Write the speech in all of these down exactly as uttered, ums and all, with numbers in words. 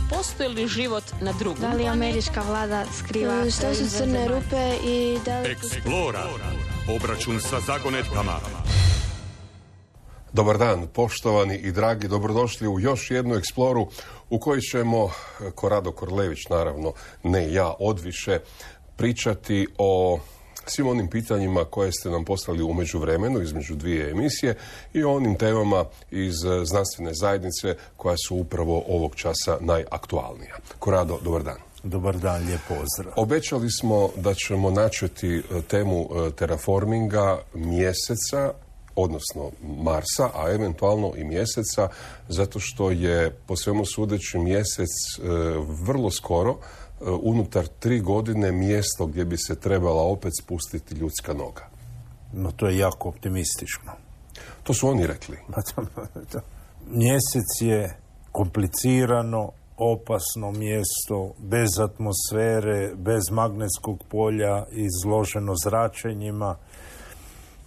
postoji li život na drugom? Da li američka vlada skriva... Što su crne rupe i da li... Eksplora. Obračun sa zagonetkama. Dobar dan, poštovani i dragi, dobrodošli u još jednu eksploru u kojoj ćemo, Korado Korlević, naravno, ne ja, odviše, pričati o svim onim pitanjima koje ste nam poslali u međuvremenu između dvije emisije i o onim temama iz znanstvene zajednice koja su upravo ovog časa najaktualnija. Korado, dobar dan. Dobar dan, lijep pozdrav. Obećali smo da ćemo načeti temu terraforminga mjeseca, odnosno Marsa, a eventualno i mjeseca, zato što je po svemu sudeći mjesec e, vrlo skoro, e, unutar tri godine, mjesto gdje bi se trebala opet spustiti ljudska noga. No, to je jako optimistično. To su oni rekli. Mjesec je komplicirano, opasno mjesto, bez atmosfere, bez magnetskog polja, izloženo zračenjima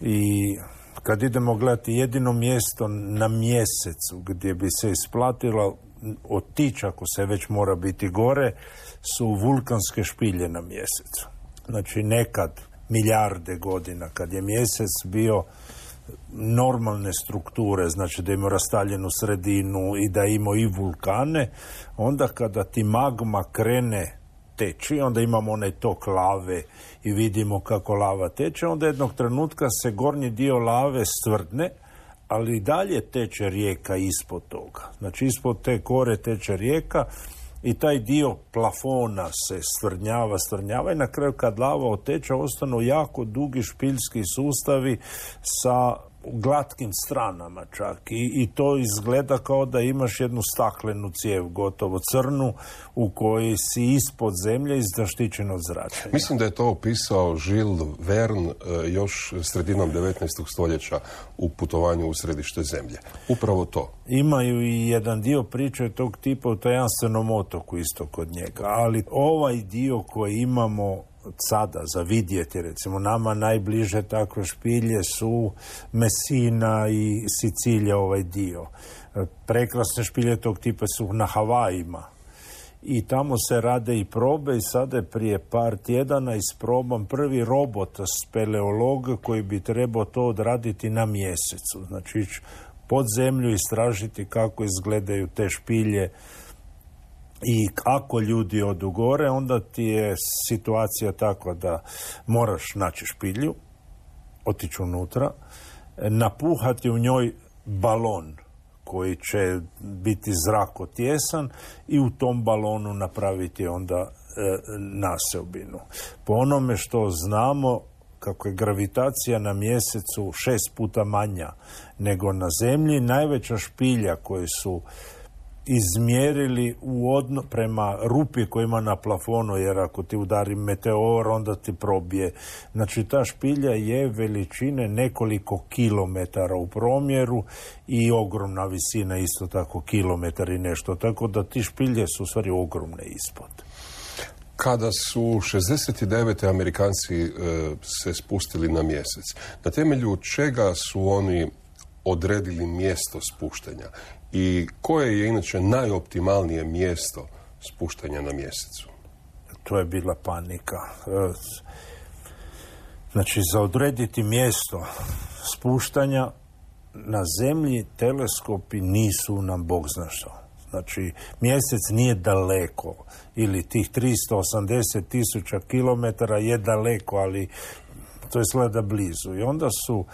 i kad idemo gledati jedino mjesto na mjesecu gdje bi se isplatilo otići, ako se već mora biti gore, su vulkanske špilje na mjesecu. Znači nekad, milijarde godina, kad je mjesec bio normalne strukture, znači da ima rastaljenu sredinu i da ima i vulkane, onda kada ti magma krene teči, onda imamo onaj tok lave i vidimo kako lava teče, onda jednog trenutka se gornji dio lave stvrdne, ali i dalje teče rijeka ispod toga. Znači ispod te kore teče rijeka i taj dio plafona se stvrdnjava, stvrdnjava i na kraju kad lava oteče ostanu jako dugi špiljski sustavi sa glatkim stranama čak I, i to izgleda kao da imaš jednu staklenu cijev, gotovo crnu, u kojoj si ispod zemlje i zaštićen od zračenja. Mislim da je to opisao Jules Verne još sredinom devetnaestog stoljeća u putovanju u središte zemlje. Upravo to. Imaju i jedan dio priče tog tipa u tajanstvenom otoku isto kod njega, ali ovaj dio koji imamo sada za vidjeti, recimo nama najbliže takve špilje su Messina i Sicilija, ovaj dio. Prekrasne špilje tog tipa su na Havajima i tamo se rade i probe i sada je prije par tjedana isproban prvi robot speleolog koji bi trebao to odraditi na mjesecu. Znači ići pod zemlju i istražiti kako izgledaju te špilje. I ako ljudi odu gore, onda ti je situacija takva da moraš naći špilju, otići unutra, napuhati u njoj balon koji će biti zrakotjesan i u tom balonu napraviti onda e, naseobinu. Po onome što znamo, kako je gravitacija na mjesecu šest puta manja nego na zemlji, najveća špilja koje su izmjerili u odno, prema rupi koja ima na plafonu, jer ako ti udari meteor, onda ti probije. Znači, ta špilja je veličine nekoliko kilometara u promjeru i ogromna visina, isto tako kilometar i nešto. Tako da ti špilje su u stvari ogromne ispod. Kada su šezdeset devete Amerikanci e, se spustili na mjesec, na temelju čega su oni odredili mjesto spuštanja? I koje je inače najoptimalnije mjesto spuštanja na mjesecu? To je bila panika. Znači, za odrediti mjesto spuštanja na zemlji teleskopi nisu nam bog zna što. Znači, mjesec nije daleko ili tih tristo osamdeset tisuća kilometara je daleko, ali to je sleda blizu. I onda su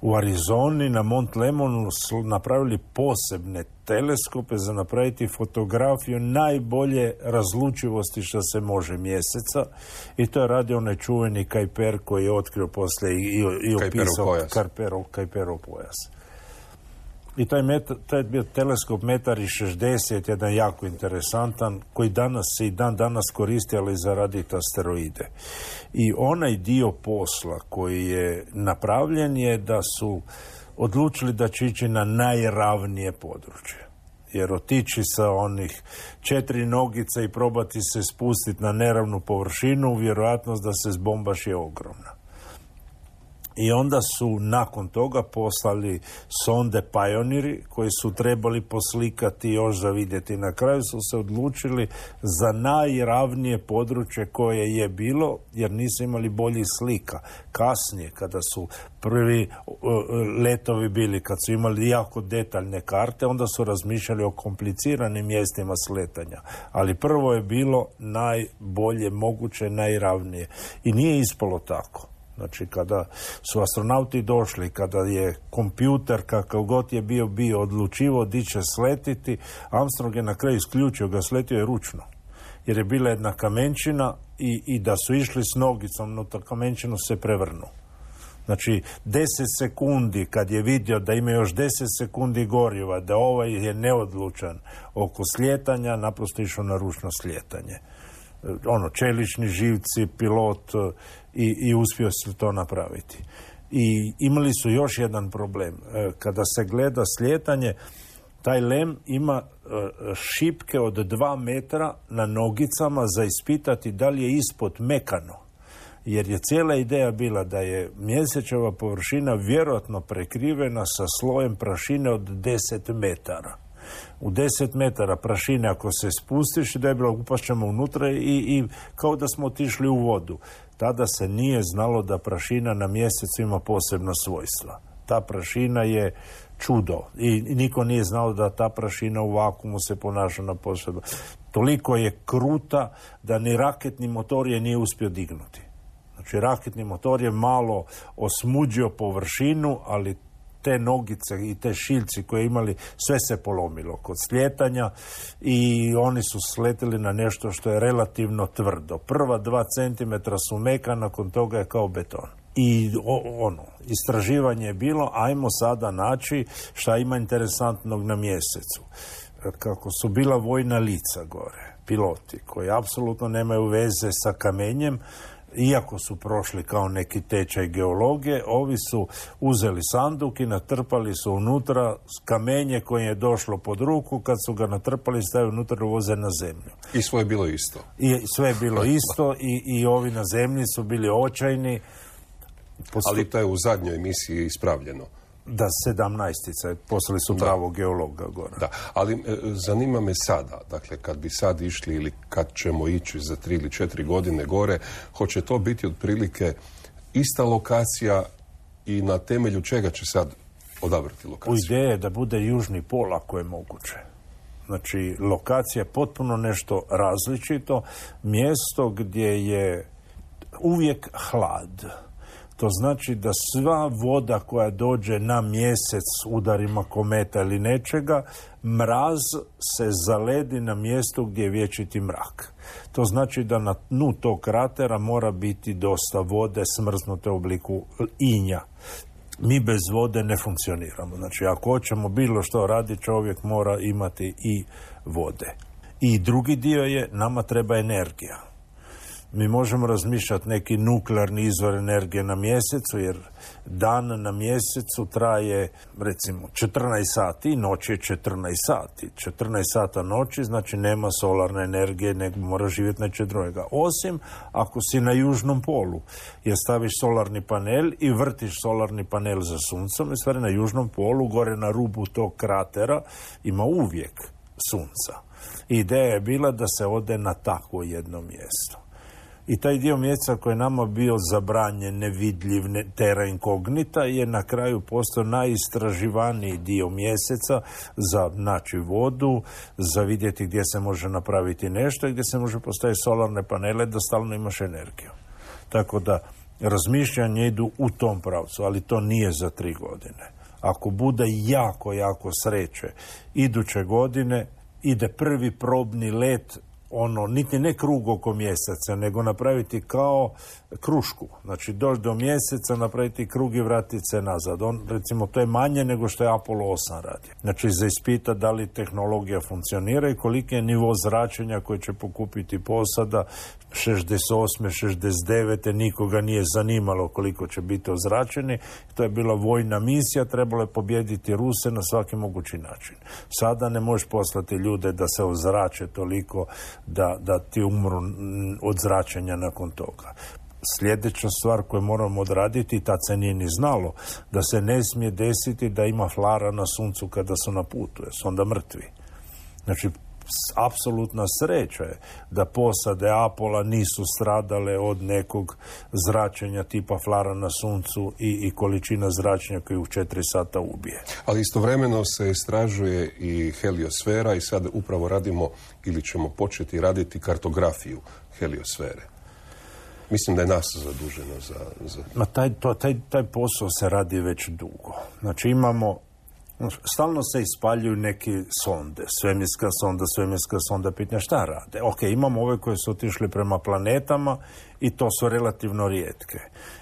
u Arizoni na Mont Lemonu napravili posebne teleskope za napraviti fotografiju najbolje razlučivosti što se može mjeseca. I to je radio onaj čuveni Kuiper koji je otkrio poslije i, i opisao Kuiperov, Kuiperov pojas. I taj, meta, taj bio teleskop metar i šezdeset, jedan jako interesantan, koji danas se i dan danas koristi, ali za raditi asteroide. I onaj dio posla koji je napravljen je da su odlučili da će ići na najravnije područje. Jer otići sa onih četiri nogice i probati se spustiti na neravnu površinu, vjerojatnost da se zbombaš je ogromna. I onda su nakon toga poslali sonde Pioneeri koji su trebali poslikati još za vidjeti. Na kraju su se odlučili za najravnije područje koje je bilo, jer nisu imali boljih slika. Kasnije, kada su prvi letovi bili, kad su imali jako detaljne karte, onda su razmišljali o kompliciranim mjestima sletanja. Ali prvo je bilo najbolje moguće, najravnije. I nije ispalo tako. Znači, kada su astronauti došli, kada je kompjuter, kakav god je bio, bio odlučivo di će sletiti, Armstrong je na kraju isključio ga, sletio je ručno. Jer je bila jedna kamenčina i, i da su išli s nogicom, no ta kamenčinu se prevrnu. Znači, deset sekundi, kad je vidio da ima još deset sekundi goriva, da ovaj je neodlučan oko slijetanja, naprosto išao na ručno slijetanje. Ono, čelični živci, pilot i, i uspio se to napraviti. I imali su još jedan problem. Kada se gleda slijetanje, taj lem ima šipke od dva metra na nogicama za ispitati da li je ispod mekano. Jer je cijela ideja bila da je mjesečeva površina vjerojatno prekrivena sa slojem prašine od deset metara. U deset metara prašine ako se spustiš, da je bilo upašćemo unutra i, i kao da smo otišli u vodu. Tada se nije znalo da prašina na mjesecu ima posebna svojstva. Ta prašina je čudo i, i niko nije znao da ta prašina u vakuumu se ponaša na posebno. Toliko je kruta da ni raketni motor je nije uspio dignuti. Znači, raketni motor je malo osmuđio površinu, ali te nogice i te šiljci koje imali, sve se polomilo kod slijetanja i oni su sletili na nešto što je relativno tvrdo. Prva dva centimetra su meka, nakon toga je kao beton. I o, ono, istraživanje je bilo, ajmo sada naći šta ima interesantnog na mjesecu. Kako su bila vojna lica gore, piloti koji apsolutno nemaju veze sa kamenjem, iako su prošli kao neki tečaj geologije, ovi su uzeli sanduk i natrpali su unutra kamenje koje je došlo pod ruku, kad su ga natrpali stavili unutra i voze na zemlju. I sve je bilo isto. I sve je bilo isto i, i ovi na zemlji su bili očajni. Postu... Ali to je u zadnjoj emisiji ispravljeno. Da, sedamnaestica, poslali su pravog geologa gore. Da, ali e, zanima me sada, dakle, kad bi sad išli ili kad ćemo ići za tri ili četiri godine gore, hoće to biti otprilike ista lokacija i na temelju čega će sad odabrati lokaciju? U ideje je da bude južni pol ako je moguće. Znači, lokacija je potpuno nešto različito, mjesto gdje je uvijek hlad. To znači da sva voda koja dođe na mjesec udarima kometa ili nečega, mraz se zaledi na mjestu gdje je vječiti mrak. To znači da na dnu tog kratera mora biti dosta vode smrznute u obliku inja. Mi bez vode ne funkcioniramo. Znači, ako hoćemo bilo što raditi, čovjek mora imati i vode. I drugi dio je, nama treba energija. Mi možemo razmišljati neki nuklearni izvor energije na mjesecu, jer dan na mjesecu traje, recimo, četrnaest sati, noć je četrnaest sati. četrnaest sata noći, znači nema solarne energije, nego mora živjeti nečeg drugega. Osim ako si na južnom polu, jer staviš solarni panel i vrtiš solarni panel za suncem, i stvari na južnom polu, gore na rubu tog kratera, ima uvijek sunca. Ideja je bila da se ode na takvo jedno mjesto. I taj dio mjeseca koji je nama bio zabranjen, nevidljiv, ne, terra incognita, je na kraju postao najistraživaniji dio mjeseca za naći vodu, za vidjeti gdje se može napraviti nešto i gdje se može postaviti solarne panele da stalno imaš energiju. Tako da razmišljanje idu u tom pravcu, ali to nije za tri godine. Ako bude jako, jako sreće, iduće godine ide prvi probni let, ono, niti ne krug oko mjeseca, nego napraviti kao krušku. Znači, doći do mjeseca, napraviti krug i vratiti se nazad. On, recimo, to je manje nego što je Apollo osam radi. Znači, za ispita da li tehnologija funkcionira i koliki je nivo zračenja koji će pokupiti posada. šezdeset osme šezdeset devete nikoga nije zanimalo koliko će biti ozračeni. To je bila vojna misija, trebalo je pobijediti Ruse na svaki mogući način. Sada ne možeš poslati ljude da se ozrače toliko da, da ti umru od zračenja nakon toga. sljedeća stvar koju moramo odraditi, tad se nije ni znalo, da se ne smije desiti da ima flara na suncu kada su na putu, jer su onda mrtvi. Znači, apsolutna sreća je da posade Apola nisu stradale od nekog zračenja tipa flara na suncu i, i količina zračenja koju u četiri sata ubije. Ali istovremeno se istražuje i heliosfera i sad upravo radimo ili ćemo početi raditi kartografiju heliosfere. Mislim da je NASA zaduženo za... za... Ma taj, to, taj, taj posao se radi već dugo. Znači imamo, stalno se ispaljuju neki sonde, svemirska sonda, svemirska sonda, pitanja šta rade. Ok, imamo ove koje su otišli prema planetama i to su relativno rijetke.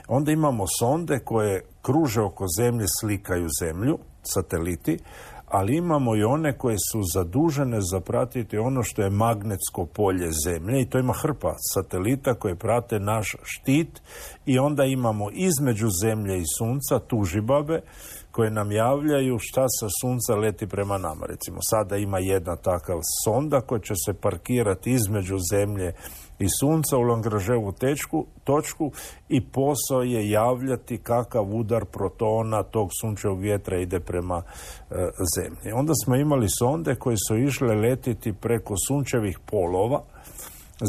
Onda imamo sonde koje kruže oko Zemlje, slikaju Zemlju, sateliti, ali imamo i one koje su zadužene za pratiti ono što je magnetsko polje Zemlje i to ima hrpa satelita koje prate naš štit i onda imamo između Zemlje i Sunca tužibabe koje nam javljaju šta sa Sunca leti prema nama. Recimo, sada ima jedna takav sonda koja će se parkirati između Zemlje i Sunca u Lagrangeovu tečku, točku i posao je javljati kakav udar protona tog sunčevog vjetra ide prema e, Zemlji. Onda smo imali sonde koje su išle letiti preko sunčevih polova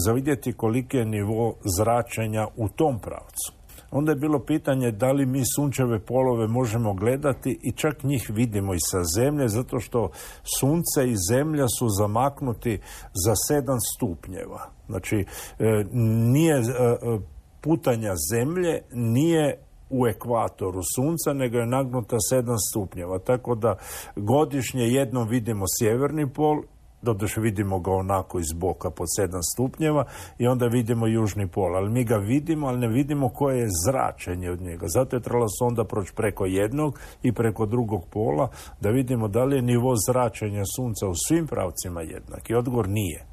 za vidjeti koliki je nivo zračenja u tom pravcu. Onda je bilo pitanje da li mi sunčeve polove možemo gledati i čak njih vidimo i sa Zemlje, zato što Sunce i Zemlja su zamaknuti za sedam stupnjeva. Znači, nije putanja Zemlje nije u ekvatoru Sunca, nego je nagnuta sedam stupnjeva. Tako da godišnje jednom vidimo sjeverni pol, doduše vidimo ga onako iz boka pod sedam stupnjeva i onda vidimo južni pol. Ali mi ga vidimo, ali ne vidimo koje je zračenje od njega. Zato je trebalo sonda proći preko jednog i preko drugog pola da vidimo da li je nivo zračenja Sunca u svim pravcima jednak. I odgovor nije.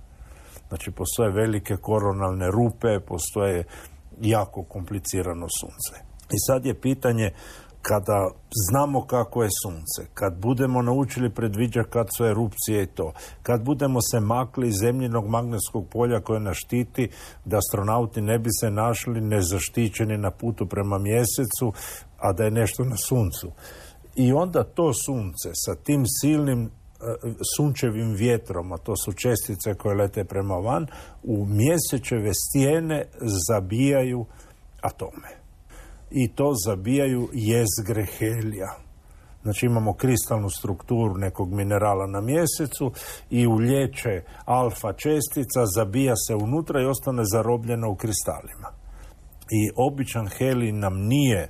Znači, postoje velike koronalne rupe, postoje jako komplicirano Sunce. I sad je pitanje, kada znamo kako je Sunce, kad budemo naučili predviđati kad su erupcije i to, kad budemo se makli iz zemljinog magnetskog polja koje nas štiti, da astronauti ne bi se našli nezaštićeni na putu prema mjesecu, a da je nešto na Suncu. I onda to Sunce sa tim silnim sunčevim vjetrom, a to su čestice koje lete prema van, u mjesečeve stijene zabijaju atome. I to zabijaju jezgre helija. Znači imamo kristalnu strukturu nekog minerala na mjesecu i ulječe alfa čestica, zabija se unutra i ostane zarobljena u kristalima. I običan helij nam nije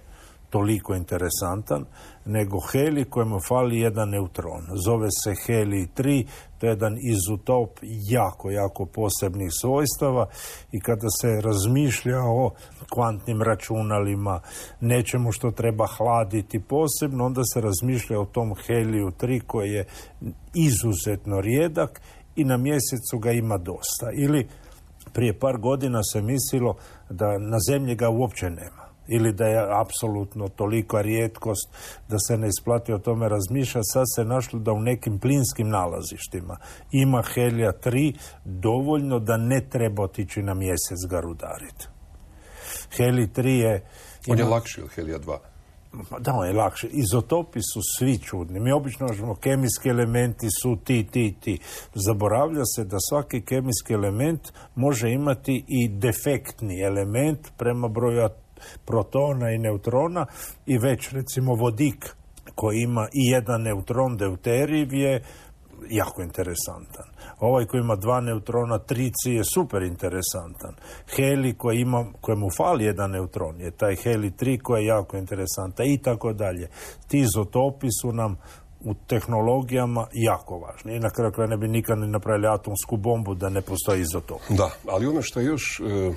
toliko interesantan, nego helij kojemu fali jedan neutron. Zove se helij tri, to je jedan izotop jako, jako posebnih svojstava i kada se razmišlja o kvantnim računalima, nečemu što treba hladiti posebno, onda se razmišlja o tom heliju tri koji je izuzetno rijedak i na mjesecu ga ima dosta. Ili prije par godina se mislilo da na Zemlji ga uopće nema. Ili da je apsolutno tolika rijetkost da se ne isplati o tome razmišljati. Sad se našlo da u nekim plinskim nalazištima ima helija tri dovoljno da ne treba otići na mjesec ga rudariti. Helij tri je... On je lakši od helija dva. Da, on je lakši. Izotopi su svi čudni. Mi obično možemo, kemijski elementi su ti, ti, ti. Zaboravlja se da svaki kemijski element može imati i defektni element prema broju protona i neutrona i već recimo vodik koji ima i jedan neutron deuteriv je jako interesantan. Ovaj koji ima dva neutrona tricij je super interesantan. Helij koji ima, kojemu fali jedan neutron je taj helij tri koji je jako interesantan i tako dalje. Ti izotopi su nam u tehnologijama jako važni. I na kraju kraja ne bi nikad ne napravili atomsku bombu da ne postoji izotop. Da, ali ono što je još e,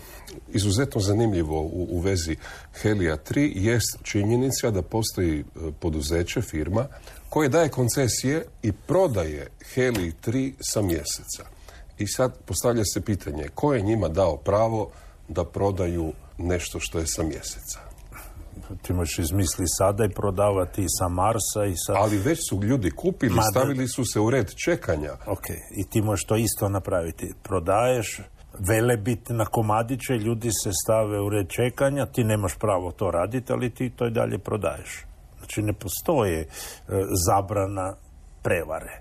izuzetno zanimljivo u, u vezi helija tri jest činjenica da postoji e, poduzeće, firma, koje daje koncesije i prodaje helij tri sa mjeseca. I sad postavlja se pitanje, ko je njima dao pravo da prodaju nešto što je sa mjeseca? Ti možeš izmisli sada i prodavati i sa Marsa i sa... Ali već su ljudi kupili, Ma, stavili su se u red čekanja. Ok, i ti možeš to isto napraviti. Prodaješ velebit na komadiće, ljudi se stave u red čekanja, ti nemaš pravo to raditi, ali ti to i dalje prodaješ. Znači ne postoje e, zabrana prevare.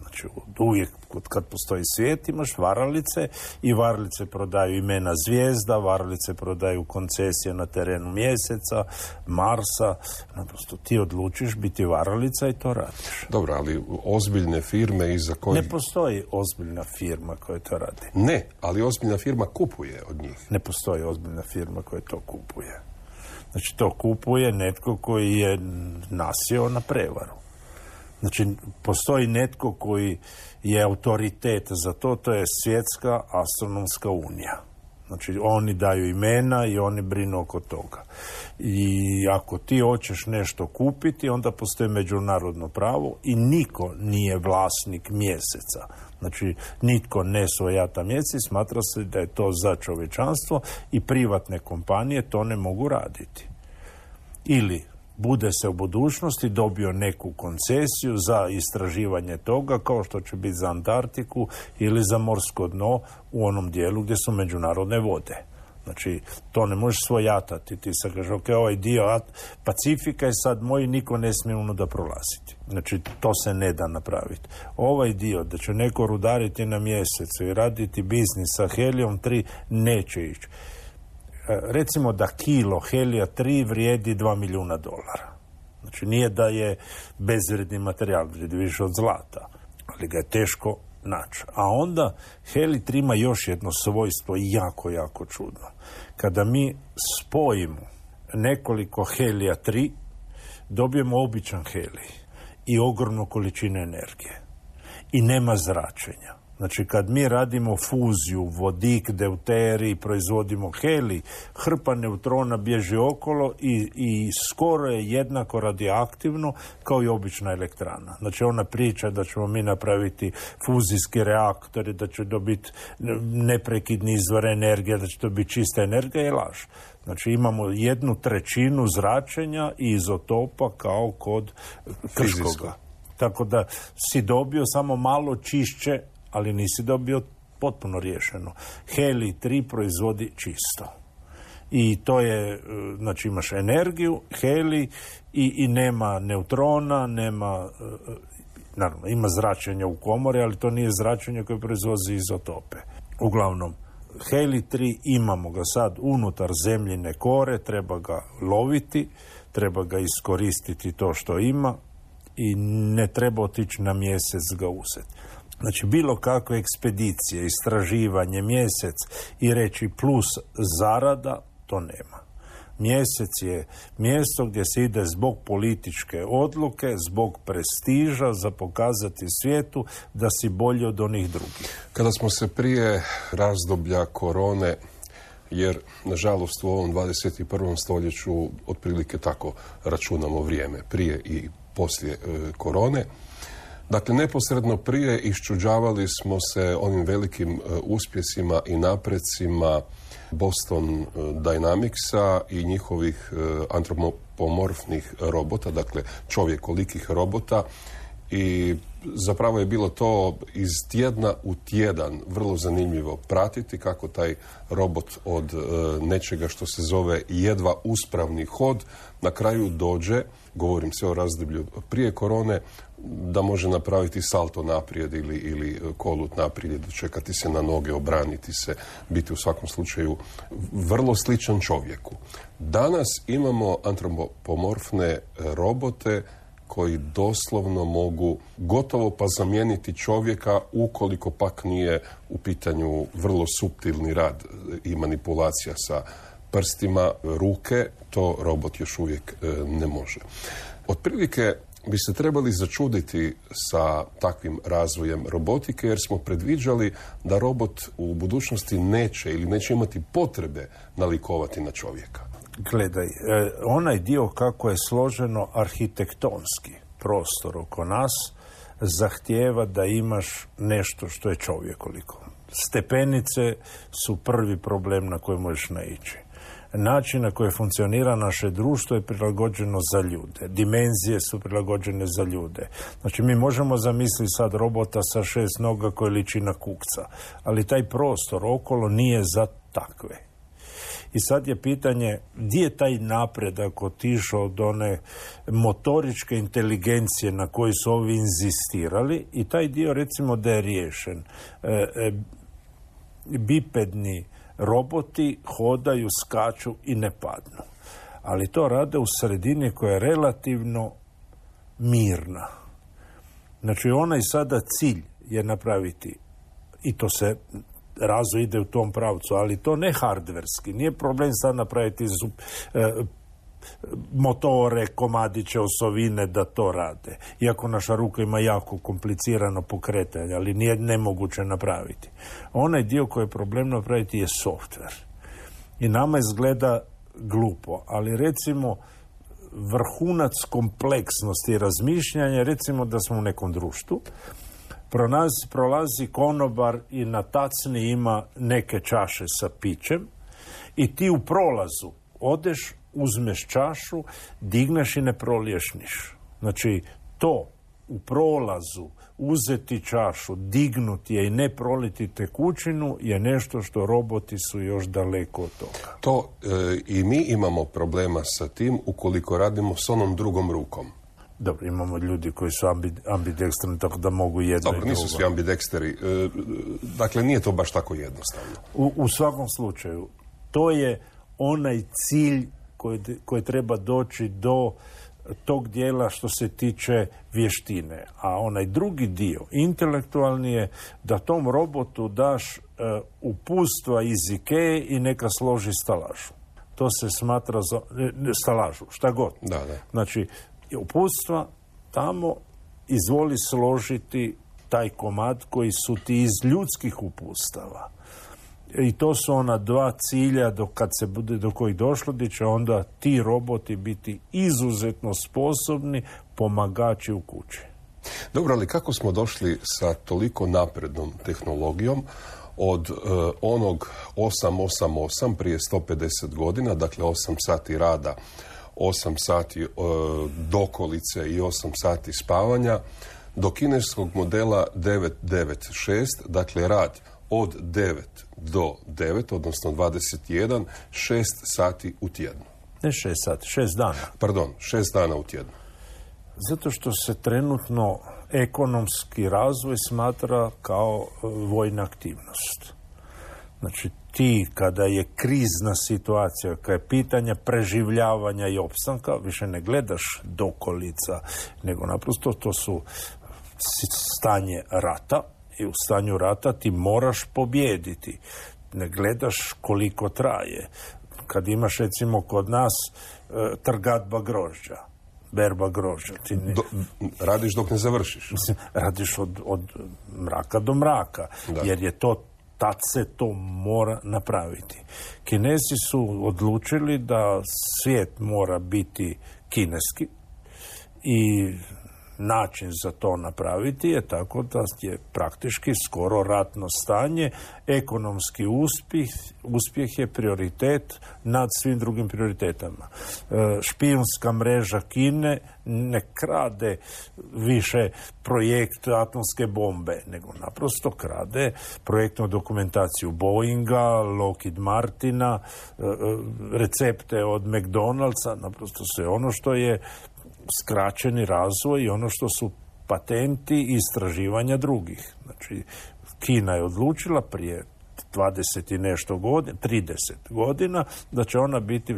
Znači uvijek kad postoji svijet imaš varalice i varalice prodaju imena zvijezda, varalice prodaju koncesije na terenu Mjeseca, Marsa. Naprosto ti odlučiš biti varalica i to radiš. Dobro, ali ozbiljne firme iza koje... Ne postoji ozbiljna firma koja to radi. Ne, ali ozbiljna firma kupuje od njih. Ne postoji ozbiljna firma koja to kupuje. Znači to kupuje netko koji je nasjeo na prevaru. Znači, postoji netko koji je autoritet za to, to je Svjetska astronomska unija. Znači, oni daju imena i oni brinu oko toga. I ako ti hoćeš nešto kupiti, onda postoji međunarodno pravo i niko nije vlasnik Mjeseca. Znači, nitko ne svojata Mjesec, smatra se da je to za čovječanstvo i privatne kompanije to ne mogu raditi. Ili bude se u budućnosti dobio neku koncesiju za istraživanje toga, kao što će biti za Antarktiku ili za morsko dno u onom dijelu gdje su međunarodne vode. Znači, to ne možeš svojatati. Ti se kaže, ok, ovaj dio Pacifika je sad moj, niko ne smije unuda prolaziti. Znači, to se ne da napraviti. Ovaj dio, da će neko rudariti na Mjesecu i raditi biznis sa helijom tri, neće ići. Recimo da kilo helija tri vrijedi dva milijuna dolara. Znači nije da je bezvrijedni materijal, vrijedi više od zlata, ali ga je teško naći. A onda helij tri ima još jedno svojstvo jako, jako čudno. Kada mi spojimo nekoliko helija tri, dobijemo običan helij i ogromnu količinu energije. I nema zračenja. Znači, kad mi radimo fuziju, vodik, deuterij, proizvodimo helij, hrpa neutrona bježi okolo i, i skoro je jednako radioaktivno kao i obična elektrana. Znači, ona priča da ćemo mi napraviti fuzijski reaktori, da će dobiti neprekidni izvor energije, da će to biti čista energija, je laž. Znači, imamo jednu trećinu zračenja i izotopa kao kod Krškoga. Tako da si dobio samo malo čišće, ali nisi dobio potpuno riješeno. Helij tri proizvodi čisto. I to je, znači imaš energiju, helij i, i nema neutrona, nema, naravno, ima zračenja u komori, ali to nije zračenje koje proizvodi izotope. Uglavnom, helij tri imamo ga sad unutar zemljine kore, treba ga loviti, treba ga iskoristiti to što ima i ne treba otići na Mjesec ga uzeti. Znači, bilo kakve ekspedicije, istraživanje, Mjesec i reći plus zarada, to nema. Mjesec je mjesto gdje se ide zbog političke odluke, zbog prestiža, za pokazati svijetu da si bolji od onih drugih. Kada smo se prije razdoblja korone, jer nažalost u ovom dvadeset i prvom stoljeću otprilike tako računamo vrijeme, prije i poslije e, korone, dakle, neposredno prije iščuđavali smo se onim velikim uh, uspjesima i naprecima Boston uh, Dynamicsa i njihovih uh, antropomorfnih robota, dakle čovjekolikih robota, i zapravo je bilo to iz tjedna u tjedan vrlo zanimljivo pratiti kako taj robot od uh, nečega što se zove jedva uspravni hod na kraju dođe, govorim se o razdoblju prije korone, da može napraviti salto naprijed ili, ili kolut naprijed, čekati se na noge, obraniti se, biti u svakom slučaju vrlo sličan čovjeku. Danas imamo antropomorfne robote koji doslovno mogu gotovo pa zamijeniti čovjeka ukoliko pak nije u pitanju vrlo suptilni rad i manipulacija sa prstima ruke, to robot još uvijek ne može. Otprilike bi se trebali začuditi sa takvim razvojem robotike, jer smo predviđali da robot u budućnosti neće ili neće imati potrebe nalikovati na čovjeka. Gledaj, onaj dio kako je složeno arhitektonski prostor oko nas zahtijeva da imaš nešto što je čovjekoliko. Stepenice su prvi problem na koji možeš naići. način na koji funkcionira naše društvo je prilagođeno za ljude. Dimenzije su prilagođene za ljude. Znači, mi možemo zamisliti sad robota sa šest noga koji liči na kukca, ali taj prostor okolo nije za takve. I sad je pitanje gdje je taj napredak otišao od one motoričke inteligencije na koji su ovi inzistirali i taj dio recimo da je riješen. E, e, bipedni roboti hodaju, skaču i ne padnu. Ali to rade u sredini koja je relativno mirna. Znači onaj sada cilj je napraviti, i to se razvoj ide u tom pravcu, ali to ne hardverski. Nije problem sad napraviti zub, e, motore, komadiće, osovine da to rade. Iako naša ruka ima jako komplicirano pokretanje, ali nije nemoguće napraviti. Onaj dio koji je problem napraviti je softver. I nama izgleda glupo, ali recimo vrhunac kompleksnosti i razmišljanja, recimo da smo u nekom društvu, Prolazi, prolazi konobar i na tacni ima neke čaše sa pićem i ti u prolazu odeš, uzmeš čašu, digneš i ne proliješ niš. Znači, to u prolazu uzeti čašu, dignuti je i ne proliti tekućinu je nešto što roboti su još daleko od toga. To e, i mi imamo problema sa tim ukoliko radimo s onom drugom rukom. Dobro, imamo ljudi koji su ambi, ambidekstrani, tako da mogu jedno Dobro, i nisu drugo. svi ambideksteri. E, dakle, nije to baš tako jednostavno. U, u svakom slučaju, to je onaj cilj koji, koji treba doći do tog dijela što se tiče vještine. A onaj drugi dio, intelektualni, je da tom robotu daš e, uputstva iz Ikeje i neka složi stalažu. To se smatra za, ne, stalažu, šta god. Da, da. Znači, uputstva tamo izvoli složiti taj komad koji su ti iz ljudskih uputstava. I to su ona dva cilja do kad se bude do kojih došlo, gdje će onda ti roboti biti izuzetno sposobni pomagači u kući. Dobro, ali kako smo došli sa toliko naprednom tehnologijom od uh, onog osam osam osam prije sto pedeset godina, dakle osam sati rada, osam sati uh, dokolice i osam sati spavanja, do kineskog modela devet devet šest, dakle rad od devet do devet, odnosno dvadeset jedan, šest sati u tjednu. Ne šest sati, šest dana. Pardon, šest dana u tjednu. Zato što se trenutno ekonomski razvoj smatra kao vojna aktivnost. Znači, ti kada je krizna situacija, kada je pitanje preživljavanja i opstanka, više ne gledaš dokolica, nego naprosto to su stanje rata i u stanju rata ti moraš pobijediti. Ne gledaš koliko traje. Kad imaš recimo kod nas trgatba grožđa, berba grožđa. Ti ne... Do, radiš dok ne završiš. Radiš od, od mraka do mraka, da. Jer je to, tad se to mora napraviti. Kinezi su odlučili da svijet mora biti kineski i način za to napraviti je tako da je praktički skoro ratno stanje, ekonomski uspjeh, uspjeh je prioritet nad svim drugim prioritetama. E, špijunska mreža Kine ne krade više projekt atomske bombe, nego naprosto krade projektnu dokumentaciju Boeinga, Lockheed Martina, e, recepte od McDonald'sa, naprosto sve ono što je skraćeni razvoj i ono što su patenti i istraživanja drugih. Znači, Kina je odlučila prije dvadeset i nešto godina, trideset godina, da će ona biti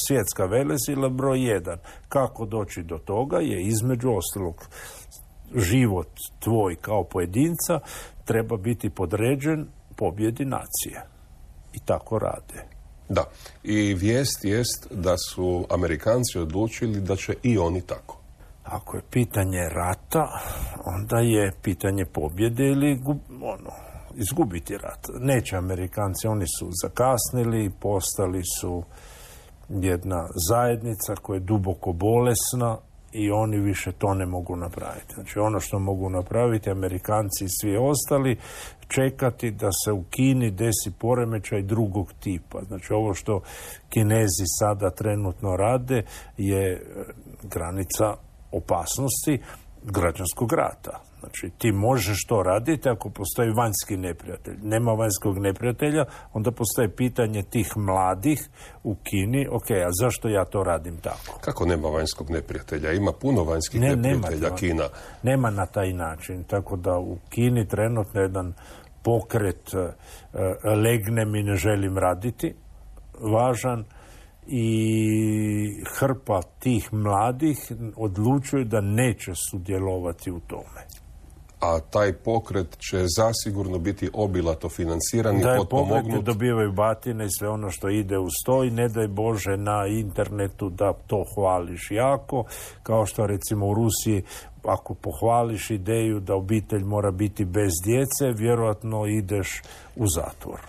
svjetska velesila broj jedan. Kako doći do toga je između ostalog život tvoj kao pojedinca treba biti podređen pobjedi nacije. I tako rade. Da, i vijest jest da su Amerikanci odlučili da će i oni tako. Ako je pitanje rata, onda je pitanje pobjede ili gub, ono, izgubiti rat. Neće Amerikanci, oni su zakasnili, postali su jedna zajednica koja je duboko bolesna i oni više to ne mogu napraviti. Znači ono što mogu napraviti Amerikanci i svi ostali, čekati da se u Kini desi poremećaj drugog tipa. Znači ovo što Kinezi sada trenutno rade je granica opasnosti građanskog rata. Znači, ti možeš to raditi ako postoji vanjski neprijatelj. Nema vanjskog neprijatelja, onda postoji pitanje tih mladih u Kini, ok, a zašto ja to radim tako? Kako nema vanjskog neprijatelja? Ima puno vanjskih ne, neprijatelja nema, Kina. Nema na taj način, tako da u Kini trenutno jedan pokret uh, legne mi ne želim raditi, važan, i hrpa tih mladih odlučuju da neće sudjelovati u tome. A taj pokret će zasigurno biti obilato financiran i potpomognut. Da, pokreti dobivaju batine i sve ono što ide uz to i ne daj Bože na internetu da to hvališ jako, kao što recimo u Rusiji ako pohvališ ideju da obitelj mora biti bez djece, vjerojatno ideš u zatvor.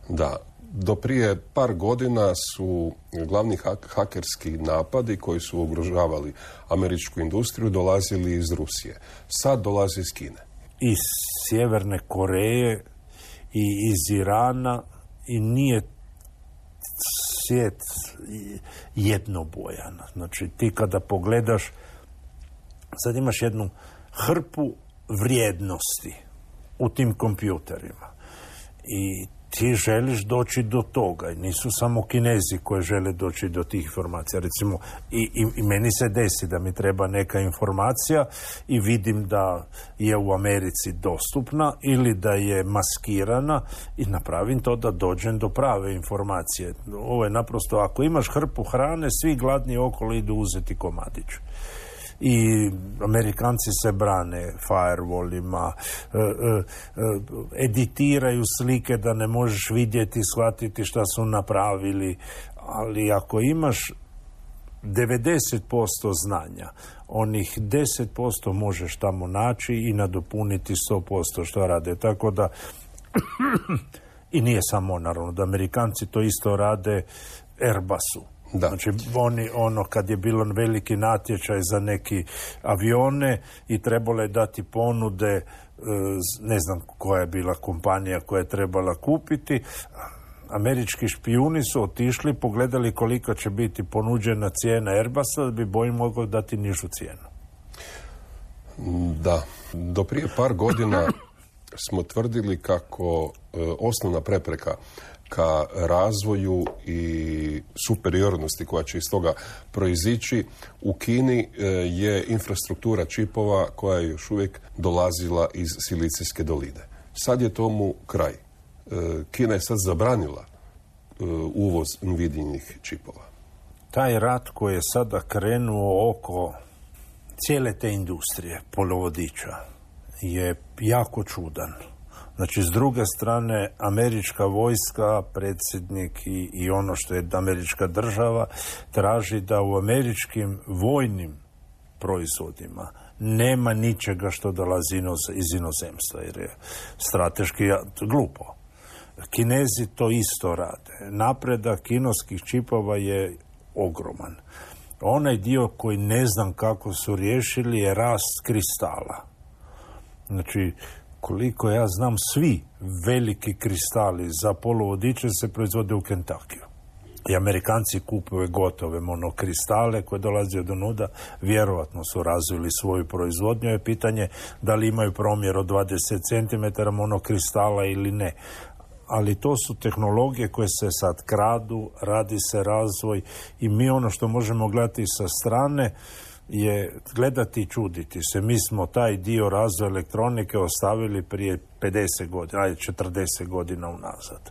Da. Do prije par godina su glavni hak- hakerski napadi koji su ugrožavali američku industriju dolazili iz Rusije. Sad dolazi iz Kine. Iz Sjeverne Koreje i iz Irana i nije svijet jednobojan. Znači ti kada pogledaš, sad imaš jednu hrpu vrijednosti u tim kompjuterima i ti želiš doći do toga. I nisu samo Kinezi koji žele doći do tih informacija. Recimo, i, i, i meni se desi da mi treba neka informacija i vidim da je u Americi dostupna ili da je maskirana i napravim to da dođem do prave informacije. Ovo je naprosto, ako imaš hrpu hrane, svi gladni okolo idu uzeti komadić. I Amerikanci se brane firewallima, e, e, editiraju slike da ne možeš vidjeti, shvatiti šta su napravili, ali ako imaš devedeset posto znanja, onih deset posto možeš tamo naći i nadopuniti sto posto što rade. Tako da i nije samo naravno da Amerikanci to isto rade Airbusu. Da. Znači, oni, ono, kad je bilo veliki natječaj za neki avione i trebalo je dati ponude, ne znam koja je bila kompanija koja je trebala kupiti, američki špijuni su otišli, pogledali koliko će biti ponuđena cijena Airbusa, da bi Boeing mogao dati nižu cijenu. Da. Do prije par godina smo tvrdili kako e, osnovna prepreka ka razvoju i superiornosti koja će iz toga proizići u Kini je infrastruktura čipova koja je još uvijek dolazila iz Silicijske doline. Sad je tomu kraj. Kina je sad zabranila uvoz Nvidijinih čipova. Taj rat koji je sada krenuo oko cijele te industrije polovodiča je jako čudan. Znači, s druge strane, američka vojska, predsjednik i, i ono što je američka država, traži da u američkim vojnim proizvodima nema ničega što dolazi iz inozemstva, jer je strateški glupo. Kinezi to isto rade. Napredak kineskih čipova je ogroman. Onaj dio koji ne znam kako su riješili je rast kristala. Znači, koliko ja znam, svi veliki kristali za poluvodiče se proizvode u Kentakiju. I Amerikanci kupuju gotove monokristale koje dolaze od nuda, vjerovatno su razvili svoju proizvodnju. Je pitanje da li imaju promjer od dvadeset centimetara monokristala ili ne. Ali to su tehnologije koje se sad kradu, radi se razvoj i mi ono što možemo gledati sa strane je gledati i čuditi se. Mi smo taj dio razvoja elektronike ostavili prije pedeset godina, ajde četrdeset godina unazad.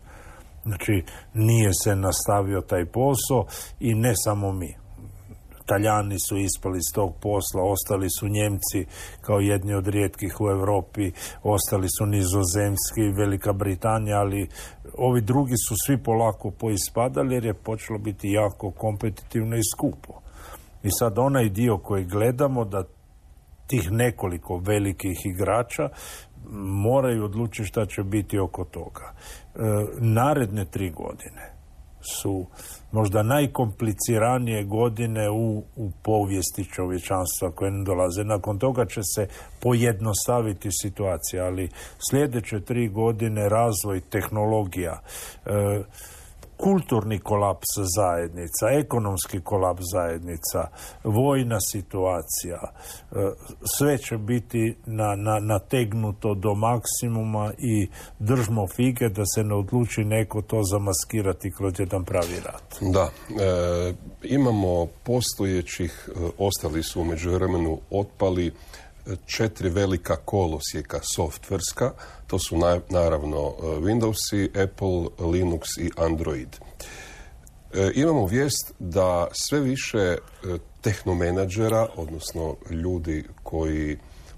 Znači, nije se nastavio taj posao i ne samo mi. Talijani su ispali iz tog posla, ostali su Njemci kao jedni od rijetkih u Europi, ostali su Nizozemski, Velika Britanija, ali ovi drugi su svi polako poispadali jer je počelo biti jako kompetitivno i skupo. I sad onaj dio koji gledamo da tih nekoliko velikih igrača moraju odlučiti šta će biti oko toga. E, naredne tri godine su možda najkompliciranije godine u, u povijesti čovječanstva koje ne dolaze. Nakon toga će se pojednostaviti situacija, ali sljedeće tri godine razvoj tehnologija, e, kulturni kolaps zajednica, ekonomski kolaps zajednica, vojna situacija, sve će biti na, na, nategnuto do maksimuma i držmo fige da se ne odluči neko to zamaskirati kroz jedan pravi rat. Da, e, imamo postojećih, e, ostali su u međuvremenu otpali četiri velika kolosijeka softverska, to su na, naravno Windowsi, Apple, Linux i Android. E, imamo vijest da sve više e, tehnomenadžera, odnosno ljudi koji,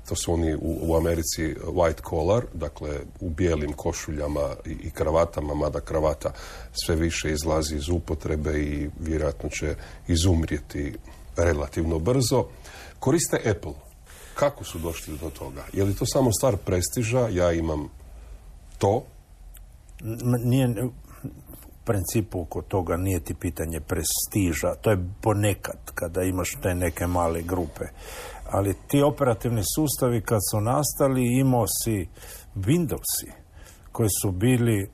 to su oni u, u Americi white collar, dakle u bijelim košuljama i, i kravatama, mada kravata sve više izlazi iz upotrebe i vjerojatno će izumrijeti relativno brzo, koriste Apple. Kako su došli do toga? Je li to samo stvar prestiža? Ja imam to? Nije, u principu oko toga nije ti pitanje prestiža. To je ponekad kada imaš te neke male grupe. Ali ti operativni sustavi kad su nastali, imao si Windowsi koji su bili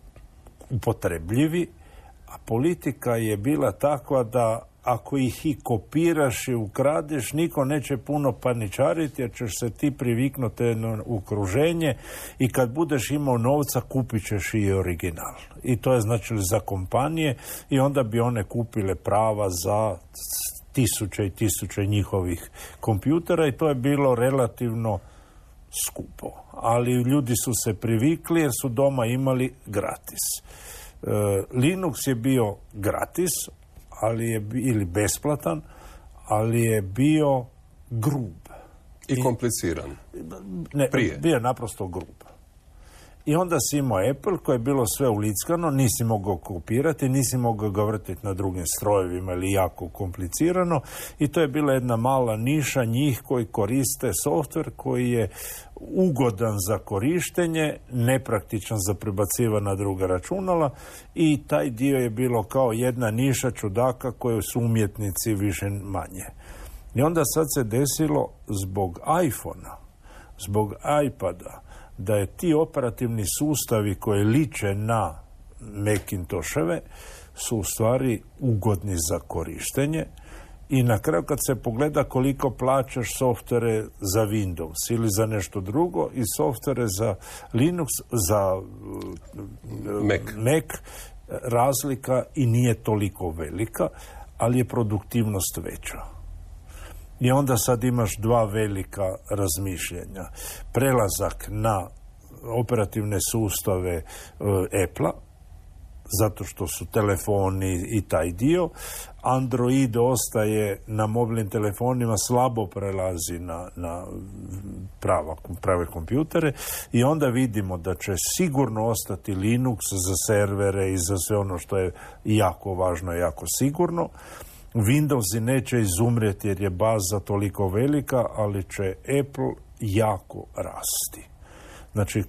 upotrebljivi, a politika je bila takva da ako ih i kopiraš i ukradeš, niko neće puno paničariti jer ćeš se ti priviknuti na okruženje i kad budeš imao novca kupit ćeš i original. I to je značilo za kompanije i onda bi one kupile prava za tisuće i tisuće njihovih kompjutera i to je bilo relativno skupo. Ali ljudi su se privikli jer su doma imali gratis. E, Linux je bio gratis, ali je ili besplatan, ali je bio grub. I kompliciran. Ne, Prije. bio je naprosto grub. I onda si imao Apple koje je bilo sve ulickano, nisi mogao kopirati, nisi mogao ga vrtiti na drugim strojevima ili jako komplicirano i to je bila jedna mala niša njih koji koriste softver koji je ugodan za korištenje, nepraktičan za prebacivanje na druga računala i taj dio je bilo kao jedna niša čudaka koje su umjetnici više manje. I onda sad se desilo zbog iPhona, zbog iPada, da je ti operativni sustavi koji liče na Macintosheve su u stvari ugodni za korištenje i na kraju kad se pogleda koliko plaćaš softvere za Windows ili za nešto drugo i softvere za Linux, za Mac. Mac, razlika i nije toliko velika, ali je produktivnost veća. I onda sad imaš dva velika razmišljenja. Prelazak na operativne sustave uh, Apple-a, zato što su telefoni i taj dio. Android ostaje na mobilnim telefonima, slabo prelazi na, na prava, prave kompjutere i onda vidimo da će sigurno ostati Linux za servere i za sve ono što je jako važno i jako sigurno. Windowsi neće izumrijeti jer je baza toliko velika, ali će Apple jako rasti. Znači,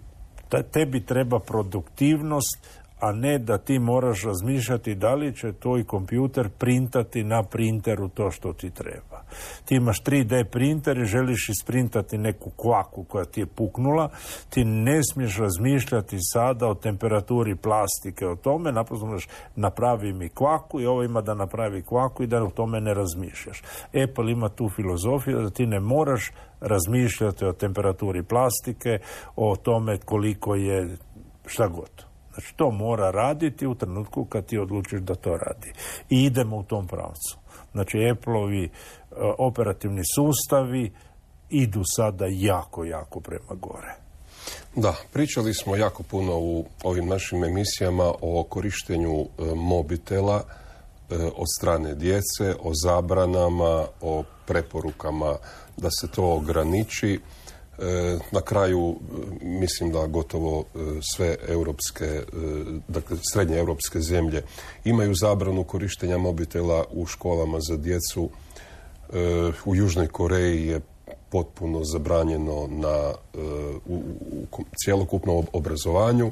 tebi treba produktivnost, a ne da ti moraš razmišljati da li će tvoj kompjuter printati na printeru to što ti treba. Ti imaš tri D printer i želiš isprintati neku kvaku koja ti je puknula, ti ne smiješ razmišljati sada o temperaturi plastike, o tome, naprosto možeš napravi mi kvaku i ovo ima da napravi kvaku i da o tome ne razmišljaš. Apple ima tu filozofiju da ti ne moraš razmišljati o temperaturi plastike, o tome koliko je šta god. Znači, to mora raditi u trenutku kad ti odlučiš da to radi. I idemo u tom pravcu. Znači, Apple-ovi uh, operativni sustavi idu sada jako, jako prema gore. Da, pričali smo jako puno u ovim našim emisijama o korištenju e, mobitela e, od strane djece, o zabranama, o preporukama da se to ograniči. E, na kraju mislim da gotovo e, sve europske, e, dakle srednje europske zemlje imaju zabranu korištenja mobitela u školama za djecu. E, u Južnoj Koreji je potpuno zabranjeno na, e, u, u cjelokupnom obrazovanju.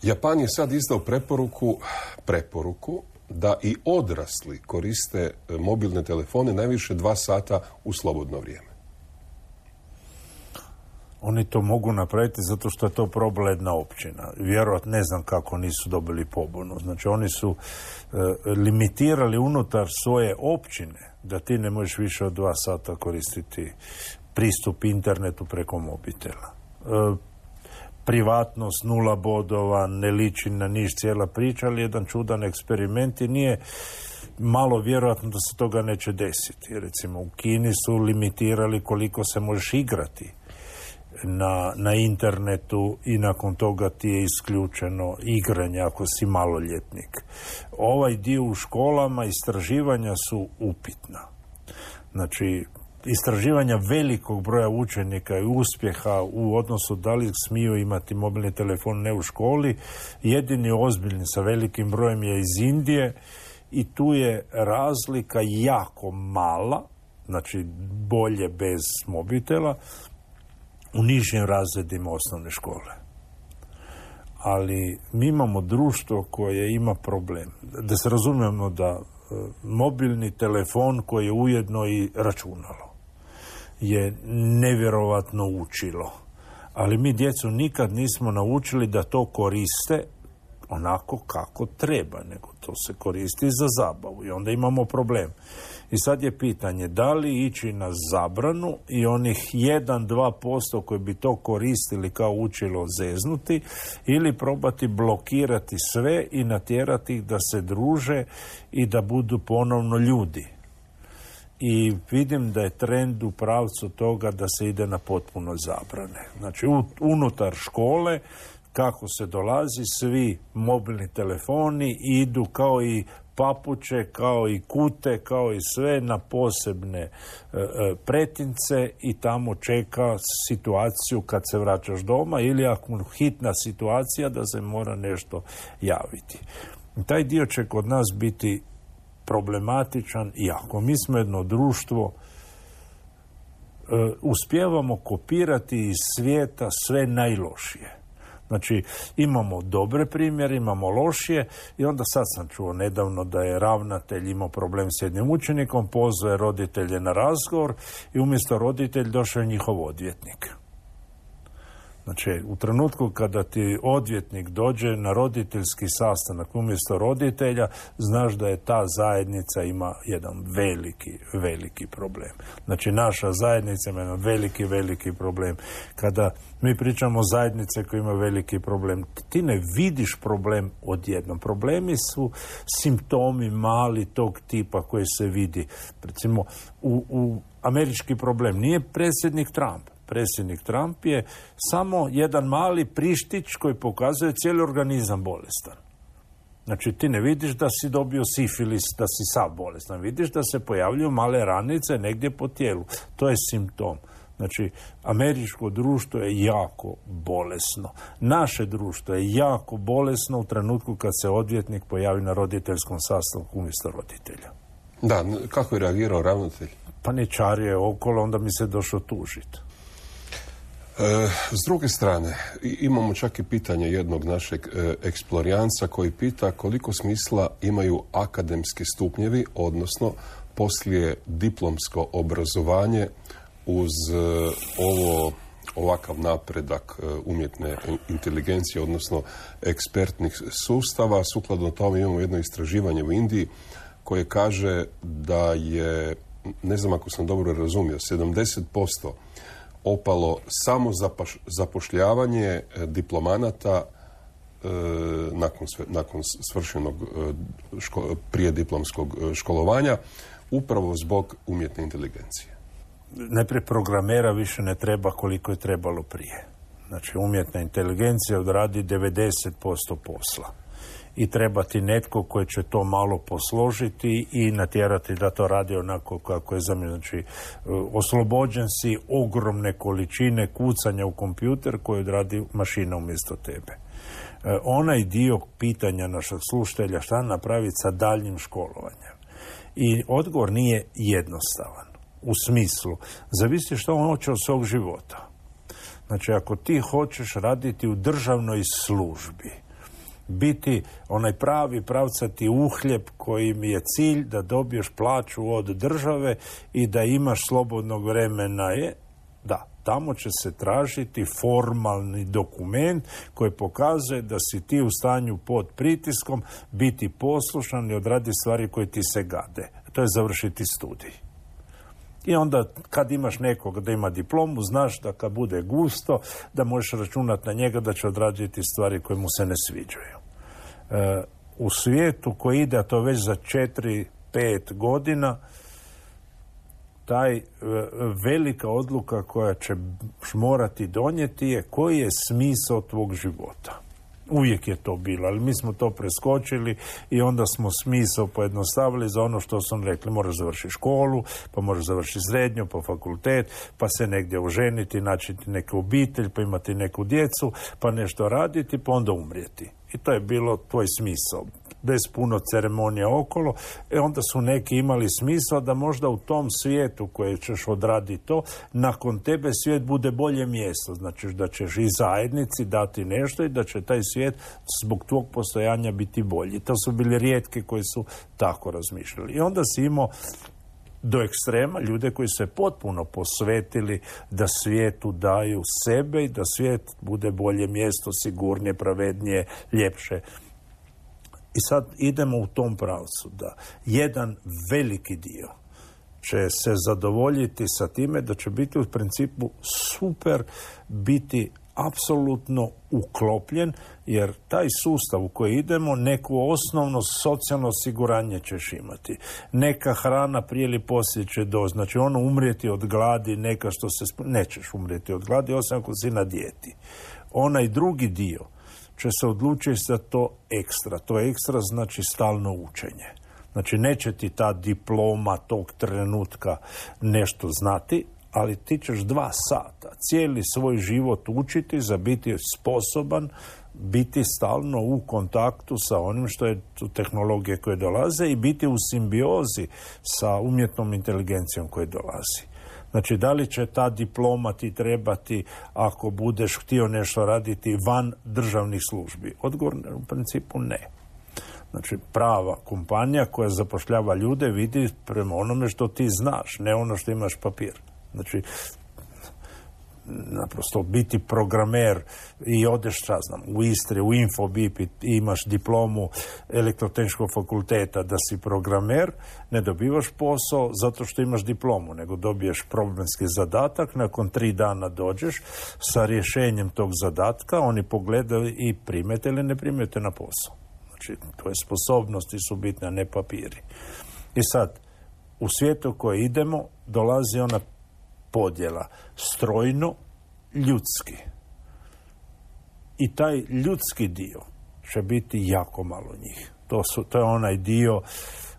Japan je sad izdao preporuku, preporuku da i odrasli koriste mobilne telefone najviše dva sata u slobodno vrijeme. Oni to mogu napraviti zato što je to progledna općina. Vjerojatno ne znam kako nisu dobili pobunu. Znači oni su e, limitirali unutar svoje općine da ti ne možeš više od dva sata koristiti pristup internetu preko mobitela. E, privatnost, nula bodova, ne liči na niš cijela priča, ali jedan čudan eksperiment i nije malo vjerojatno da se toga neće desiti. Recimo u Kini su limitirali koliko se možeš igrati Na, na internetu i nakon toga ti je isključeno igranje ako si maloljetnik. Ovaj dio u školama istraživanja su upitna. Znači, istraživanja velikog broja učenika i uspjeha u odnosu da li smiju imati mobilni telefon ne u školi, jedini ozbiljni sa velikim brojem je iz Indije i tu je razlika jako mala, znači bolje bez mobitela, u nižim razredima osnovne škole. Ali mi imamo društvo koje ima problem. Da se razumijemo da e, mobilni telefon koji je ujedno i računalo je nevjerovatno učilo. Ali mi djecu nikad nismo naučili da to koriste onako kako treba, nego to se koristi za zabavu i onda imamo problem. I sad je pitanje da li ići na zabranu i onih jedan do dva posto koji bi to koristili kao učilo zeznuti ili probati blokirati sve i natjerati ih da se druže i da budu ponovno ljudi. I vidim da je trend u pravcu toga da se ide na potpuno zabrane. Znači unutar škole kako se dolazi, svi mobilni telefoni idu kao i papuče, kao i kute, kao i sve na posebne e, e, pretince i tamo čeka situaciju kad se vraćaš doma ili ako hitna situacija da se mora nešto javiti. Taj dio će kod nas biti problematičan i ako mi smo jedno društvo, e, uspijevamo kopirati iz svijeta sve najlošije. Znači, imamo dobre primjere, imamo lošije i onda sad sam čuo nedavno da je ravnatelj imao problem s jednim učenikom, pozvao je roditelje na razgovor i umjesto roditelj došao je njihov odvjetnik. Znači, u trenutku kada ti odvjetnik dođe na roditeljski sastanak umjesto roditelja, znaš da je ta zajednica ima jedan veliki, veliki problem. Znači, naša zajednica ima jedan veliki, veliki problem. Kada mi pričamo o zajednice koja ima veliki problem, ti ne vidiš problem odjednom. Problemi su simptomi mali tog tipa koji se vidi. Recimo, u, u američki problem nije predsjednik Trump. Predsjednik Trump je samo jedan mali prištić koji pokazuje cijeli organizam bolestan. Znači, ti ne vidiš da si dobio sifilis, da si sav bolestan. Vidiš da se pojavljuju male ranice negdje po tijelu. To je simptom. Znači, američko društvo je jako bolesno. Naše društvo je jako bolesno u trenutku kad se odvjetnik pojavi na roditeljskom sastanku umjesto roditelja. Da, kako je reagirao ravnatelj? Pa ne čario je okolo, onda mi se došao tužiti. E, s druge strane, imamo čak i pitanje jednog našeg e, eksplorijanca koji pita koliko smisla imaju akademski stupnjevi, odnosno poslije diplomsko obrazovanje uz e, ovo ovakav napredak e, umjetne inteligencije, odnosno ekspertnih sustava. Sukladno tome imamo jedno istraživanje u Indiji koje kaže da je, ne znam ako sam dobro razumio, sedamdeset posto opalo samo zapaš, zapošljavanje diplomanata e, nakon, sve, nakon svršenog e, ško, prijediplomskog školovanja upravo zbog umjetne inteligencije. Najprije programera više ne treba koliko je trebalo prije. Znači umjetna inteligencija odradi devedeset posto posla. I treba ti netko koji će to malo posložiti i natjerati da to radi onako kako je zamišljeno. Znači, oslobođen si ogromne količine kucanja u kompjuter koji odradi mašina umjesto tebe. E, onaj dio pitanja našeg slušatelja šta napraviti sa daljnjim školovanjem. I odgovor nije jednostavan. U smislu, zavisi što on hoće od svog života. Znači, ako ti hoćeš raditi u državnoj službi, biti onaj pravi pravcati uhljeb kojim je cilj da dobiješ plaću od države i da imaš slobodnog vremena je, da, tamo će se tražiti formalni dokument koji pokazuje da si ti u stanju pod pritiskom biti poslušan i odradi stvari koje ti se gade. To je završiti studij. I onda kad imaš nekog da ima diplomu, znaš da kad bude gusto, da možeš računati na njega da će odraditi stvari koje mu se ne sviđaju. E, u svijetu koji ide, a to već za četiri, pet godina, taj e, velika odluka koja će morati donijeti je koji je smisao tvog života. Uvijek je to bilo, ali mi smo to preskočili i onda smo smisao pojednostavili za ono što sam rekli. Moraš završiti školu, pa moraš završiti srednju, pa fakultet, pa se negdje oženiti, naći neku obitelj, pa imati neku djecu, pa nešto raditi, pa onda umrijeti. I to je bilo tvoj smisao. Bez puno ceremonija okolo, e onda su neki imali smisao da možda u tom svijetu koje ćeš odraditi to, nakon tebe svijet bude bolje mjesto. Znači da ćeš i zajednici dati nešto i da će taj svijet zbog tvog postojanja biti bolji. To su bili rijetki koji su tako razmišljali. I onda si imao do ekstrema ljude koji se potpuno posvetili da svijetu daju sebe i da svijet bude bolje mjesto, sigurnije, pravednije, ljepše. I sad idemo u tom pravcu da jedan veliki dio će se zadovoljiti sa time da će biti u principu super biti apsolutno uklopljen, jer taj sustav u koji idemo, neko osnovno socijalno osiguranje ćeš imati. Neka hrana prije ili poslije će doći. Znači ono umrijeti od gladi, neka što se... Sp... Nećeš umrijeti od gladi, osim ako si na dijeti. Onaj drugi dio će se odlučiti za to ekstra. To ekstra znači stalno učenje. Znači neće ti ta diploma tog trenutka nešto znati, ali ti ćeš dva sata cijeli svoj život učiti za biti sposoban biti stalno u kontaktu sa onim što je tehnologije koje dolaze i biti u simbiozi sa umjetnom inteligencijom koje dolazi. Znači, da li će ta diploma ti trebati ako budeš htio nešto raditi van državnih službi? Odgovor u principu ne. Znači, prava kompanija koja zapošljava ljude vidi prema onome što ti znaš, ne ono što imaš papir. Znači, naprosto biti programer i odeš, šta znam, u Istri, u Infobip i imaš diplomu elektrotehničkog fakulteta da si programer, ne dobivaš posao zato što imaš diplomu, nego dobiješ problemski zadatak, nakon tri dana dođeš sa rješenjem tog zadatka, oni pogledaju i primete ili ne primete na posao. Znači, tvoje sposobnosti su bitne, a ne papiri. I sad, u svijetu u koji idemo, dolazi ona podjela strojno, ljudski. I taj ljudski dio će biti jako malo njih. To, su, to je onaj dio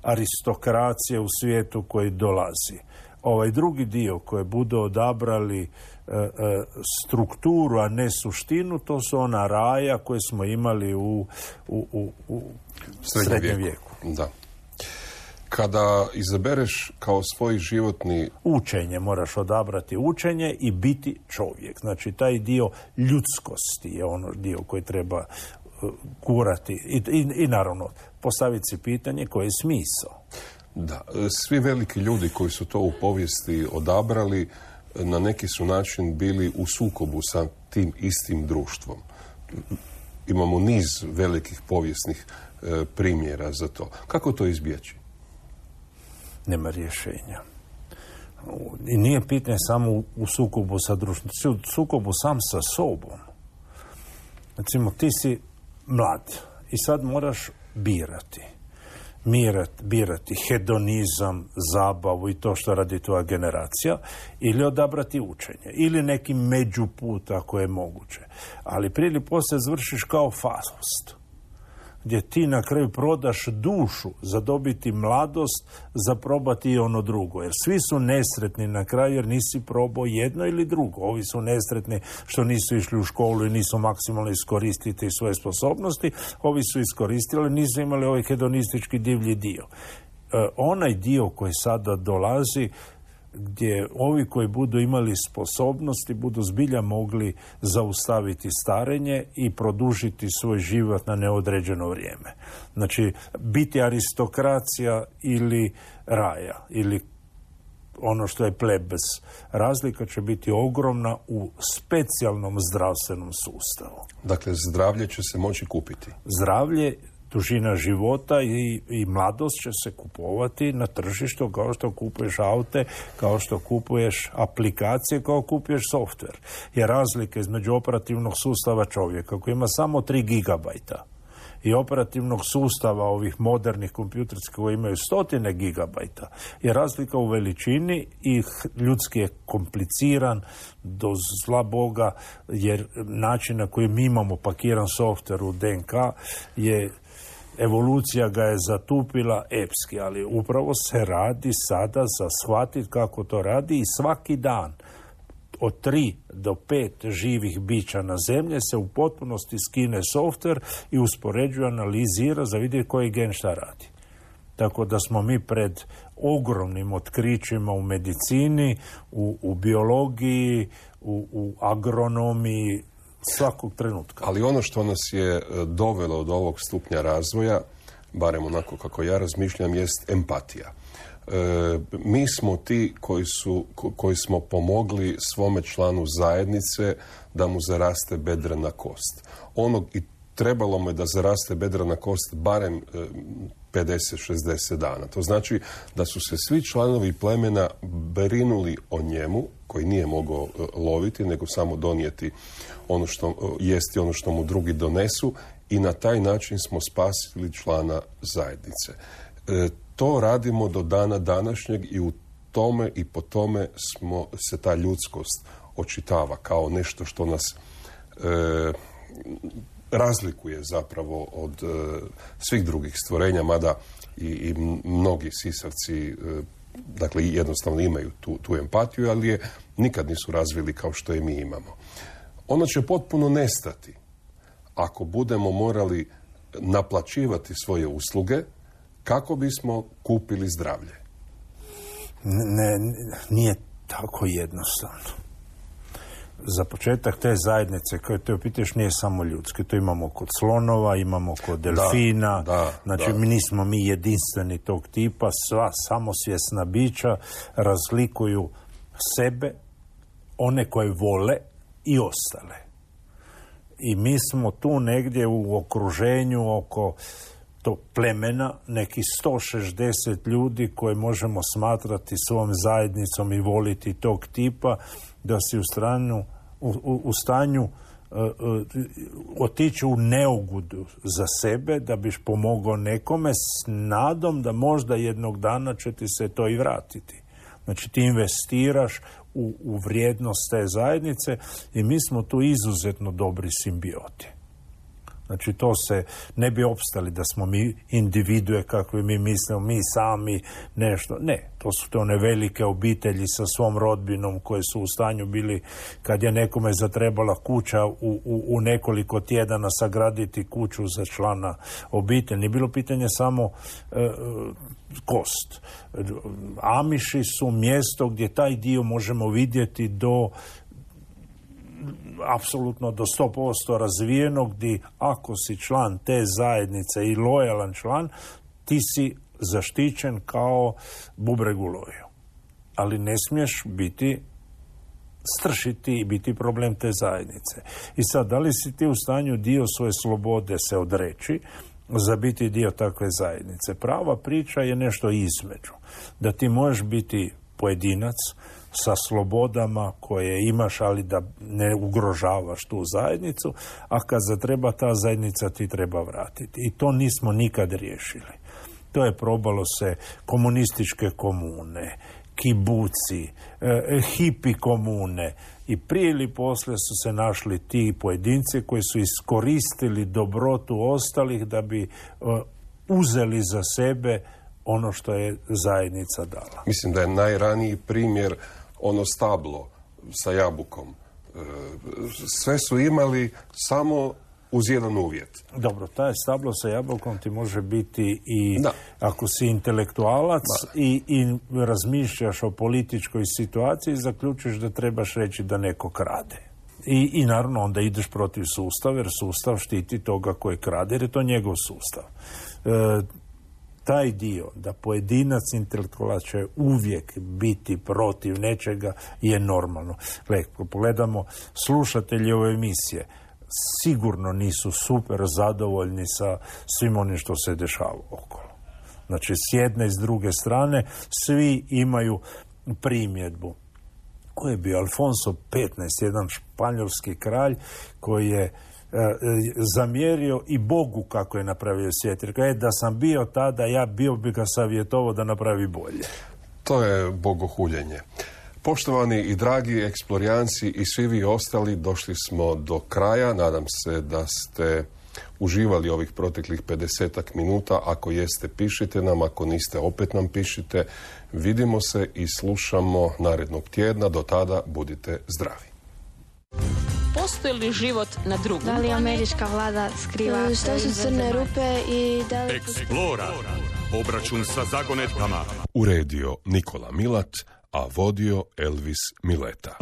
aristokracije u svijetu koji dolazi. Ovaj drugi dio koji budu odabrali e, e, strukturu, a ne suštinu, to su ona raja koje smo imali u, u, u, u srednjem vijeku. vijeku. Da. Kada izabereš kao svoj životni... Učenje, moraš odabrati učenje i biti čovjek. Znači, taj dio ljudskosti je ono dio koji treba uh, gurati. I, i, I naravno, postaviti si pitanje koji je smisao. Da, svi veliki ljudi koji su to u povijesti odabrali, na neki su način bili u sukobu sa tim istim društvom. Imamo niz velikih povijesnih uh, primjera za to. Kako to izbjeći? Nema rješenja. I nije pitanje samo u sukobu sa društvom, u sukobu sam sa sobom. Recimo, ti si mlad i sad moraš birati. Mirat, birati hedonizam, zabavu i to što radi tvoja generacija, ili odabrati učenje, ili neki međuput ako je moguće. Ali prije ili poslije završiš kao Faust, gdje ti na kraju prodaš dušu za dobiti mladost, za probati i ono drugo. Jer svi su nesretni na kraju jer nisi probao jedno ili drugo. Ovi su nesretni što nisu išli u školu i nisu maksimalno iskoristiti svoje sposobnosti. Ovi su iskoristili, ali nisu imali ovaj hedonistički divlji dio. E, onaj dio koji sada dolazi, gdje ovi koji budu imali sposobnosti budu zbilja mogli zaustaviti starenje i produžiti svoj život na neodređeno vrijeme. Znači, biti aristokracija ili raja, ili ono što je plebes. Razlika će biti ogromna u specijalnom zdravstvenom sustavu. Dakle, zdravlje će se moći kupiti. Zdravlje, dužina života i, i mladost će se kupovati na tržištu kao što kupuješ aute, kao što kupuješ aplikacije, kao kupuješ softver. Jer razlika između operativnog sustava čovjeka koji ima samo tri gigabajta i operativnog sustava ovih modernih kompjuterskih koji imaju stotine gigabajta je razlika u veličini i ljudski je kompliciran do zla Boga, jer način na koji mi imamo pakiran softver u D N K je evolucija ga je zatupila epski, ali upravo se radi sada za shvatiti kako to radi i svaki dan od tri do pet živih bića na zemlji se u potpunosti skine softver i uspoređuje, analizira za vidjeti koji gen šta radi. Tako da smo mi pred ogromnim otkrićima u medicini, u, u biologiji, u, u agronomiji, svakog trenutka. Ali ono što nas je dovelo do ovog stupnja razvoja, barem onako kako ja razmišljam, jest empatija. E, mi smo ti koji, su, koji smo pomogli svome članu zajednice da mu zaraste bedrena kost. Ono i trebalo mu je da zaraste bedrena kost barem e, pedeset šezdeset dana. To znači da su se svi članovi plemena brinuli o njemu, koji nije mogao e, loviti, nego samo donijeti ono što, e, jesti ono što mu drugi donesu, i na taj način smo spasili člana zajednice. E, to radimo do dana današnjeg i u tome i po tome smo, se ta ljudskost očitava kao nešto što nas e, razlikuje zapravo od e, svih drugih stvorenja, mada i, i mnogi sisavci e, dakle jednostavno imaju tu, tu empatiju, ali je nikad nisu razvili kao što je mi imamo. Ono će potpuno nestati ako budemo morali naplaćivati svoje usluge kako bismo kupili zdravlje. Ne, nije tako jednostavno. Za početak te zajednice koje te opitaš nije samo ljudske. To imamo kod slonova, imamo kod delfina. Da, da, znači, da. mi nismo mi jedinstveni tog tipa. Sva samosvjesna bića razlikuju sebe, one koje vole i ostale. I mi smo tu negdje u okruženju oko to plemena, neki sto šezdeset ljudi koje možemo smatrati svom zajednicom i voliti tog tipa, da si u, stranu, u, u, u stanju uh, uh, otići u neugodu za sebe, da biš pomogao nekome s nadom da možda jednog dana će ti se to i vratiti. Znači ti investiraš u, u vrijednost te zajednice i mi smo tu izuzetno dobri simbioti. Znači to se ne bi opstali da smo mi individue kakve mi mislimo, mi sami nešto. Ne, to su te one velike obitelji sa svom rodbinom koje su u stanju bili, kad je nekome zatrebala kuća u, u, u nekoliko tjedana sagraditi kuću za člana obitelji. Nije bilo pitanje samo e, kost. Amiši su mjesto gdje taj dio možemo vidjeti do apsolutno do sto posto razvijenog, gdje ako si član te zajednice i lojalan član, ti si zaštićen kao bubreg u loju. Ali ne smiješ biti stršiti i biti problem te zajednice. I sad, da li si ti u stanju dio svoje slobode se odreći za biti dio takve zajednice? Prava priča je nešto između. Da ti možeš biti pojedinac sa slobodama koje imaš, ali da ne ugrožavaš tu zajednicu, a kad zatreba ta zajednica ti treba vratiti. I to nismo nikad riješili. To je probalo se komunističke komune, kibuci, e, hipi komune, i prije ili poslije su se našli ti pojedinci koji su iskoristili dobrotu ostalih da bi e, uzeli za sebe ono što je zajednica dala. Mislim da je najraniji primjer ono stablo sa jabukom. Sve su imali, samo uz jedan uvjet. Dobro, taj stablo sa jabukom ti može biti i da. ako si intelektualac i, i razmišljaš o političkoj situaciji, zaključiš da trebaš reći da neko krade. I, i naravno onda ideš protiv sustava, jer sustav štiti toga koji krade, jer je to njegov sustav. E, taj dio da pojedinac intelektualac će uvijek biti protiv nečega je normalno. Gle, pogledamo slušatelji ove emisije, sigurno nisu super zadovoljni sa svim onim što se dešava okolo. Znači, s jedne i s druge strane, svi imaju primjedbu. Ko je bio Alfonso petnaesti, jedan španjolski kralj koji je e, zamjerio i Bogu kako je napravio svijet. Jer je da sam bio tada, ja bio bi ga savjetovao da napravi bolje. To je bogohuljenje. Poštovani i dragi eksplorijanci i svi vi ostali, došli smo do kraja. Nadam se da ste uživali ovih proteklih pedesetak minuta. Ako jeste, pišite nam. Ako niste, opet nam pišite. Vidimo se i slušamo narednog tjedna. Do tada budite zdravi. Postoji li život na drugom? Da li američka vlada skriva? Što su crne rupe i da li... Eksplora. Obračun sa zagonetkama. Uredio Nikola Milat, a vodio Elvis Mileta.